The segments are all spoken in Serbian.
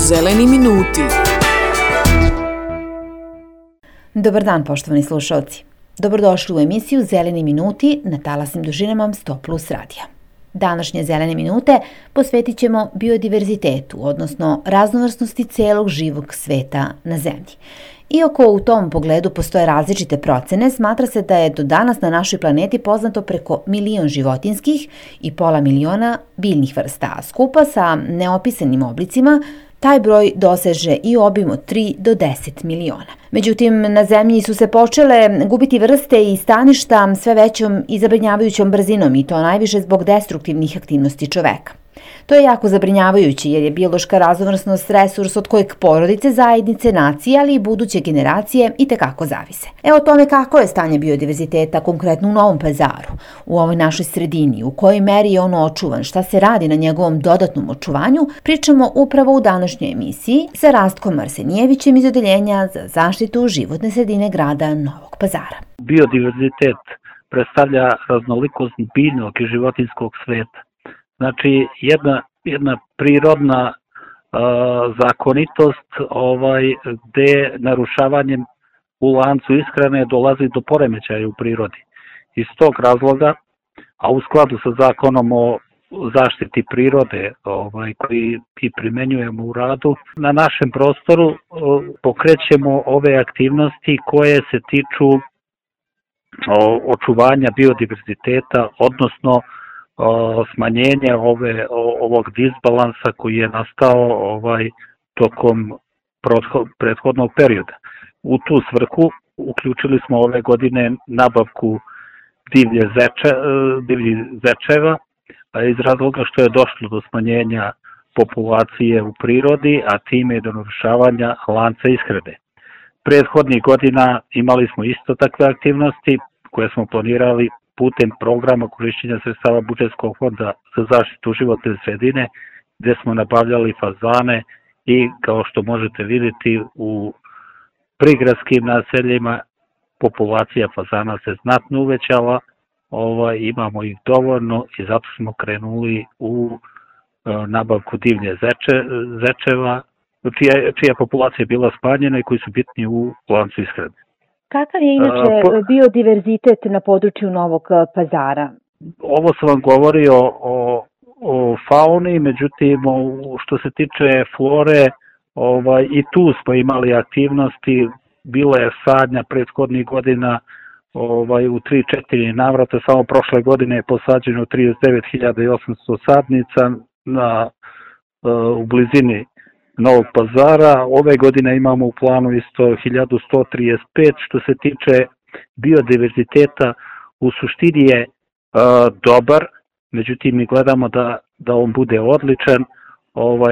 Zeleni minuti. Dobar dan, poštovani slušalci. Dobrodošli u emisiju Zeleni minuti na talasnim dužinama 100+ radija. Današnje Zelene minute posvetit ćemo biodiverzitetu, odnosno raznovrsnosti celog živog sveta na zemlji. Iako u tom pogledu postoje različite procene, smatra se da je do danas na našoj planeti poznato preko 1.000.000 životinjskih i 500.000 biljnih vrsta, a skupa sa neopisanim oblicima taj broj doseže i obim od 3 do 10 miliona. Međutim, na zemlji su se počele gubiti vrste i staništa sve većom i zabrinjavajućom brzinom, i to najviše zbog destruktivnih aktivnosti čoveka. To je jako zabrinjavajuće jer je biološka raznovrsnost resurs od kojeg porodice, zajednice, nacije, ali i buduće generacije itekako zavise. O tome kako je stanje biodiverziteta konkretno u Novom Pazaru, u ovoj našoj sredini, u kojoj meri je ono očuvan, šta se radi na njegovom dodatnom očuvanju, pričamo upravo u današnjoj emisiji sa Rastkom Arsenijevićem iz Odeljenja za zaštitu životne sredine grada Novog Pazara. Biodiverzitet predstavlja raznolikost biljnog i životinjskog sveta. Znači, jedna prirodna zakonitost gde narušavanjem u lancu ishrane dolazi do poremećaja u prirodi. Iz tog razloga, a u skladu sa zakonom o zaštiti prirode koji i primenjujemo u radu, na našem prostoru pokrećemo ove aktivnosti koje se tiču očuvanja biodiverziteta, odnosno smanjenje ovog disbalansa koji je nastao tokom prethodnog perioda. U tu svrhu uključili smo ove godine nabavku divljih zečeva iz razloga što je došlo do smanjenja populacije u prirodi, a time i do narušavanja lanca ishrane. Prethodnih godina imali smo isto takve aktivnosti koje smo planirali putem programa korišćenja sredstava budžetskog fonda za zaštitu životne sredine, gde smo nabavljali fazane i, kao što možete vidjeti, u prigradskim naseljima populacija fazana se znatno uvećala, imamo ih dovoljno i zato smo krenuli u nabavku divlje zečeva, čija populacija je bila smanjena i koji su bitni u lancu ishrane. Kakav je inače biodiverzitet na području Novog Pazara? Ovo sam vam govorio o fauni, međutim, što se tiče flore, i tu smo imali aktivnosti, bila je sadnja prethodnih godina u 3-4 navrata, samo prošle godine je posađeno 39.800 sadnica u blizini Novog Pazara. Ove godine imamo u planu isto 1135. Što se tiče biodiverziteta, u suštini je dobar, međutim mi gledamo da on bude odličan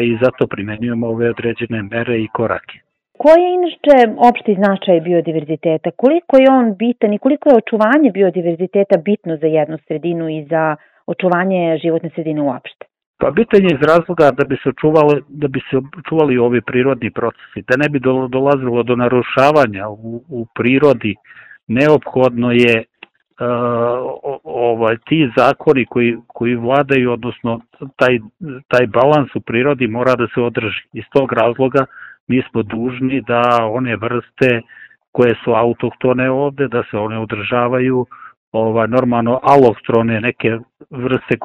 i zato primenjujemo ove određene mere i korake. Koji je inače opšti značaj biodiverziteta? Koliko je on bitan i koliko je očuvanje biodiverziteta bitno za jednu sredinu i za očuvanje životne sredine uopšte? Pa bitan je iz razloga da bi se očuvali ovi prirodni procesi, da ne bi dolazilo do narušavanja u prirodi. Neophodno je ti zakoni koji vladaju, odnosno taj balans u prirodi mora da se održi. Iz tog razloga mi smo dužni da one vrste koje su autohtone ovde, da se one održavaju, normalno alohtone, neke vrste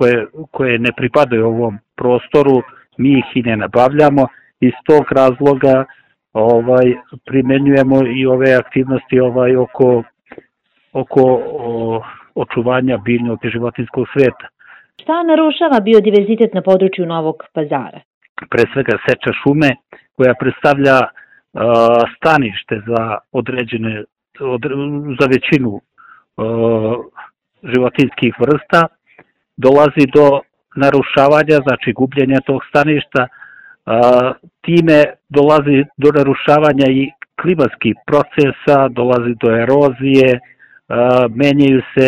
koje ne pripadaju ovom prostoru, mi ih i ne nabavljamo. Iz tog razloga primenjujemo i ove aktivnosti oko očuvanja biljnog i životinjskog sveta. Šta narušava biodiverzitet na području Novog Pazara? Pre svega seča šume koja predstavlja stanište za većinu životinjskih vrsta, dolazi do narušavanja, znači gubljenja tog staništa, time dolazi do narušavanja i klimatskih procesa, dolazi do erozije, menjaju se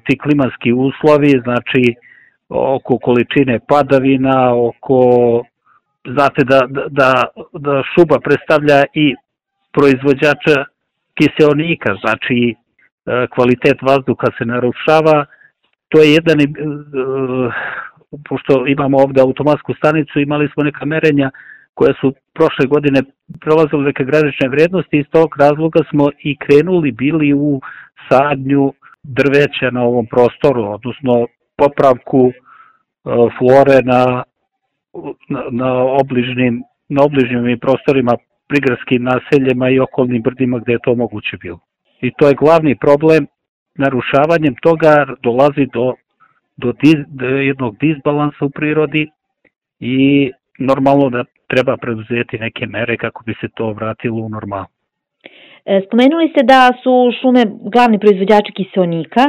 ti klimatski uslovi, znači oko količine padavina, znate da šuma predstavlja i proizvođača kiseonika, znači kvalitet vazduha se narušava. To je jedan, pošto imamo ovde automatsku stanicu, imali smo neka merenja koje su prošle godine prelazile neke granične vrednosti. Iz tog razloga smo i krenuli bili u sadnju drveća na ovom prostoru, odnosno popravku flore na obližnjim prostorima, prigradskim naseljima i okolnim brdima gde je to moguće bilo. I to je glavni problem. Narušavanjem toga dolazi do jednog disbalansa u prirodi i normalno da treba preduzeti neke mere kako bi se to vratilo u normalu. Spomenuli ste da su šume glavni proizvođači kiseonika.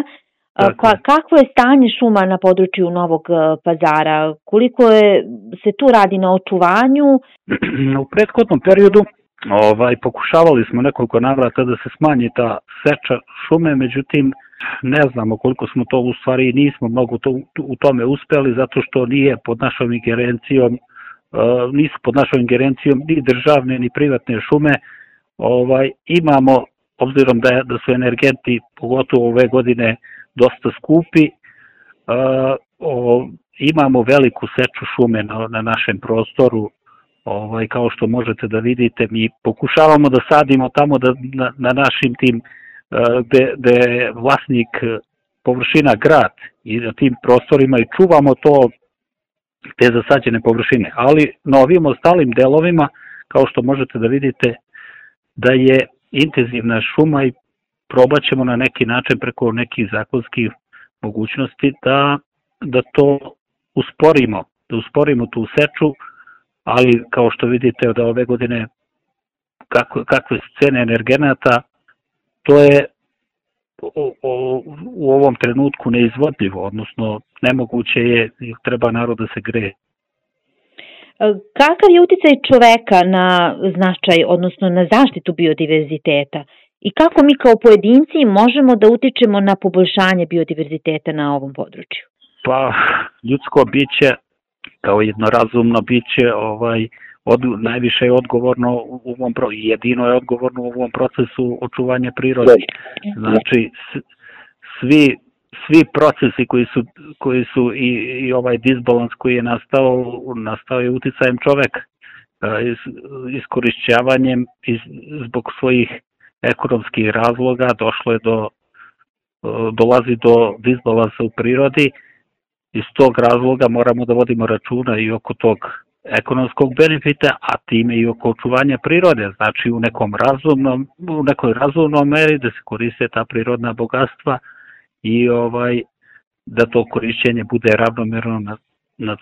Kakvo je stanje šuma na području Novog Pazara? Koliko se tu radi na očuvanju? U prethodnom periodu pokušavali smo nekoliko navrata da se smanji ta seča šume, međutim ne znamo koliko smo to u stvari nismo mnogo u tome uspeli, zato što nije pod našom ingerencijom, nisu pod našom ingerencijom ni državne ni privatne šume. Imamo, obzirom da su energenti pogotovo ove godine dosta skupi, imamo veliku seču šume na našem prostoru. Kao što možete da vidite, mi pokušavamo da sadimo tamo na našim tim gde je vlasnik površina grad i na tim prostorima i čuvamo te zasađene površine. Ali na ovim ostalim delovima, kao što možete da vidite, da je intenzivna šuma i probat ćemo na neki način preko nekih zakonskih mogućnosti da to usporimo, da usporimo tu seču, ali kao što vidite od ove godine kakve su cene energenata, to je u ovom trenutku neizvodljivo, odnosno nemoguće je, treba narod da se greje. Kakav je uticaj čoveka na značaj, odnosno na zaštitu biodiverziteta i kako mi kao pojedinci možemo da utičemo na poboljšanje biodiverziteta na ovom području? Pa, ljudsko biće kao jedno razumno biće najviše je odgovorno jedino je odgovorno u ovom procesu očuvanja prirode. Znači, svi procesi koji su i ovaj disbalans koji je nastao je uticajem čoveka, iskorišćavanjem zbog svojih ekonomskih razloga dolazi do disbalansa u prirodi. Iz tog razloga moramo da vodimo računa i oko tog ekonomskog benefita, a time i oko očuvanja prirode, znači u nekoj razumnom meri da se koriste ta prirodna bogatstva i da to korišćenje bude ravnomerno na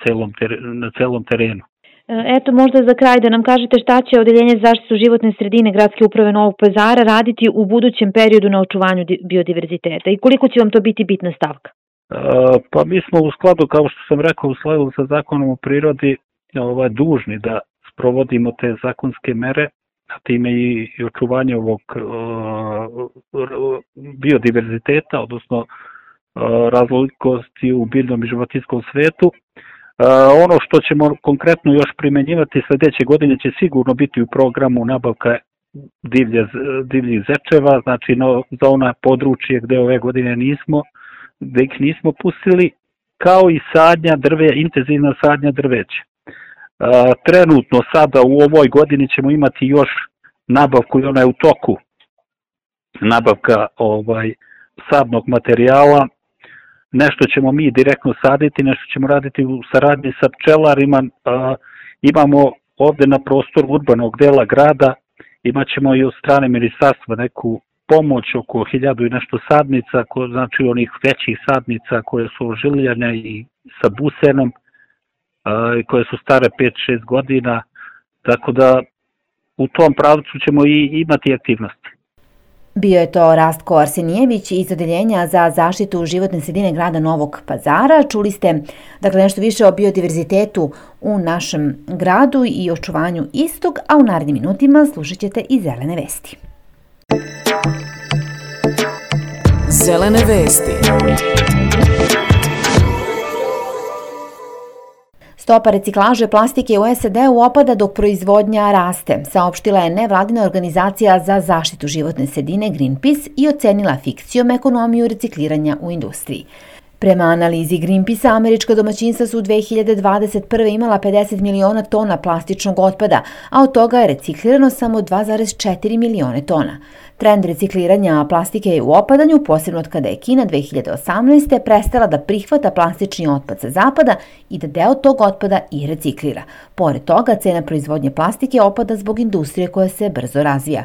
celom terenu. Eto, možda za kraj da nam kažete šta će Odeljenje za zaštitu životne sredine Gradske uprave Novog Pazara raditi u budućem periodu na očuvanju biodiverziteta i koliko će vam to biti bitna stavka? Pa mi smo u skladu, kao što sam rekao, u skladu sa Zakonom o prirodi dužni da sprovodimo te zakonske mere, a time i očuvanje ovog biodiverziteta, odnosno raznolikosti u biljnom i životinjskom svetu. Ono što ćemo konkretno još primenjivati sledeće godine će sigurno biti u programu nabavka divljih zečeva, znači za ona područje gde ove godine gde ih nismo pustili, kao i intenzivna sadnja drveća. Trenutno sada u ovoj godini ćemo imati još nabavku i ona je u toku, nabavka sadnog materijala. Nešto ćemo mi direktno saditi, nešto ćemo raditi u saradnji sa pčelarima. Imamo ovde na prostoru urbanog dela grada, imat ćemo i od strane ministarstva neku pomoć oko 1000 i nešto sadnica, znači onih većih sadnica koje su ožiljane i sa busenom, koje su stare 5-6 godina, tako da u tom pravcu ćemo i imati aktivnosti. Bio je to Rastko Arsenijević iz Odeljenja za zaštitu životne sredine grada Novog Pazara. Čuli ste nešto više o biodiverzitetu u našem gradu i očuvanju istog, a u narednim minutima slušat ćete i zelene vesti. Zelene vesti. Stopa reciklaže plastike u SAD-u opada dok proizvodnja raste, saopštila je nevladina organizacija za zaštitu životne sredine Greenpeace i ocenila fikcijom ekonomiju recikliranja u industriji. Prema analizi Greenpeace-a, američka domaćinstva su 2021. imala 50 miliona tona plastičnog otpada, a od toga je reciklirano samo 2,4 milione tona. Trend recikliranja plastike je u opadanju, posebno od kada je Kina 2018. prestala da prihvata plastični otpad sa zapada i da deo tog otpada i reciklira. Pored toga, cena proizvodnje plastike opada zbog industrije koja se brzo razvija.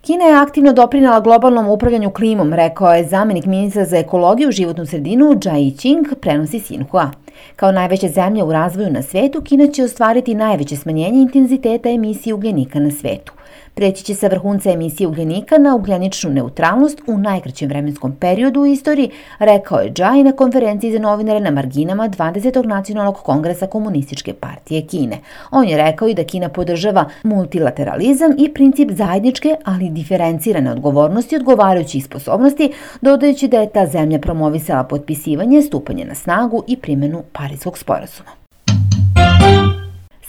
Kina je aktivno doprinela globalnom upravljanju klimom, rekao je zamenik ministra za ekologiju i životnu sredinu Jia Qing, prenosi Xinhua. Kao najveća zemlja u razvoju na svetu, Kina će ostvariti najveće smanjenje intenziteta emisije ugljenika na svetu. Preći će sa vrhunca emisije ugljenika na ugljeničnu neutralnost u najkraćem vremenskom periodu u istoriji, rekao je Jia na konferenciji za novinare na marginama 20. nacionalnog kongresa Komunističke partije Kine. On je rekao i da Kina podržava multilateralizam i princip zajedničke, ali diferencirane odgovornosti odgovarajućih sposobnosti, dodajući da je ta zemlja promovisala potpisivanje, stupanje na snagu i primjenu Pariskog sporazuma.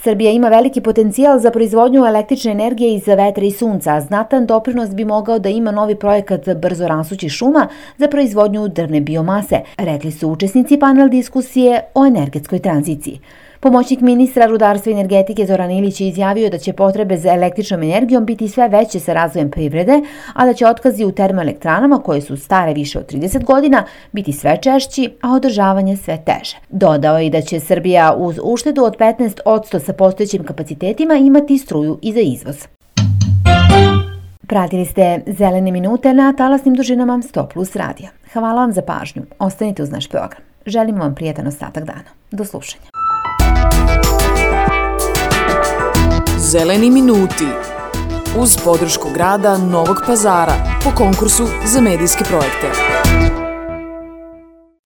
Srbija ima veliki potencijal za proizvodnju električne energije iz vetra i sunca, a znatan doprinos bi mogao da ima novi projekat brzo rastućih šuma za proizvodnju drvne biomase, rekli su učesnici panel diskusije o energetskoj tranziciji. Pomoćnik ministra rudarstva i energetike Zoran Ilić je izjavio da će potrebe za električnom energijom biti sve veće sa razvojem privrede, a da će otkazi u termoelektranama koje su stare više od 30 godina biti sve češći, a održavanje sve teže. Dodao je i da će Srbija uz uštedu od 15% sa postojećim kapacitetima imati struju i za izvoz. Pratili ste Zelene minute na talasnim dužinama 100+ radija. Hvala vam za pažnju. Ostanite uz naš program. Želimo vam prijatan ostatak dana. Do slušanja. Zeleni minuti uz podršku grada Novog Pazara po konkursu za medijske projekte.